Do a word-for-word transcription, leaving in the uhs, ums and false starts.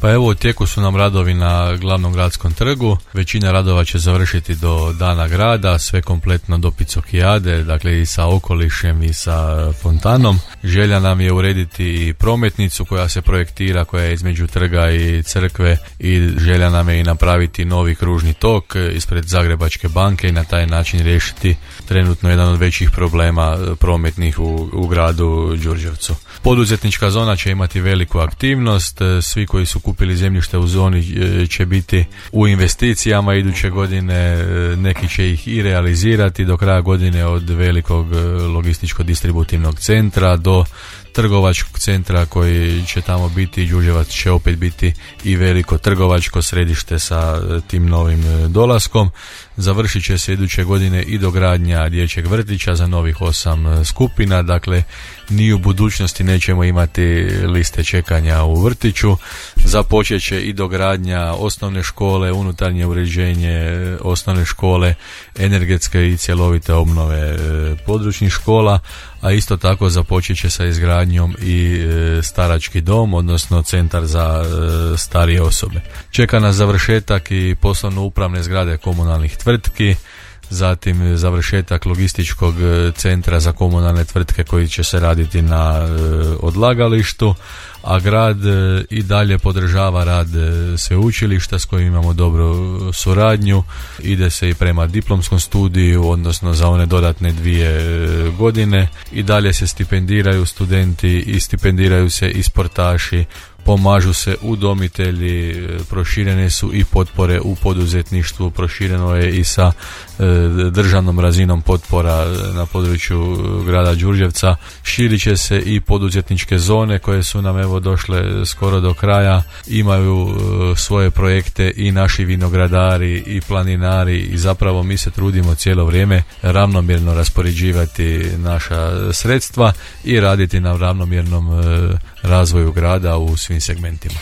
Pa evo, u tijeku su nam radovi na glavnom gradskom trgu. Većina radova će završiti do dana grada, sve kompletno do Picokijade, dakle i sa okolišem i sa fontanom. Želja nam je urediti i prometnicu koja se projektira, koja je između trga i crkve, i želja nam je i napraviti novi kružni tok ispred Zagrebačke banke i na taj način riješiti trenutno jedan od većih problema prometnih u, u gradu Đurđevcu. Poduzetnička zona će imati veliku aktivnost, svi koji su kupili zemljište u zoni će biti u investicijama iduće godine, neki će ih i realizirati do kraja godine, od velikog logističko-distributivnog centra do trgovačkog centra koji će tamo biti. Đurđevac će opet biti i veliko trgovačko središte sa tim novim dolaskom. Završit će se iduće godine i dogradnja dječjeg vrtića za novih osam skupina, dakle ni u budućnosti nećemo imati liste čekanja u vrtiću. Započet će i dogradnja osnovne škole, unutarnje uređenje osnovne škole, energetske i cjelovite obnove područnih škola, a isto tako započet će sa izgradnjom i starački dom, odnosno centar za starije osobe. Čeka nas završetak i poslovno-upravne zgrade komunalnih tvrtki, zatim završetak logističkog centra za komunalne tvrtke koji će se raditi na odlagalištu, a grad i dalje podržava rad sveučilišta s kojim imamo dobru suradnju. Ide se i prema diplomskom studiju, odnosno za one dodatne dvije godine. I dalje se stipendiraju studenti i stipendiraju se i sportaši, pomažu se udomitelji, proširene su i potpore u poduzetništvu, prošireno je i sa e, državnom razinom potpora na području grada Đurđevca. Širit će se i poduzetničke zone koje su nam evo došle skoro do kraja, imaju e, svoje projekte i naši vinogradari i planinari, i zapravo mi se trudimo cijelo vrijeme ravnomjerno raspoređivati naša sredstva i raditi na ravnomjernom e, razvoju grada u svim segmentima.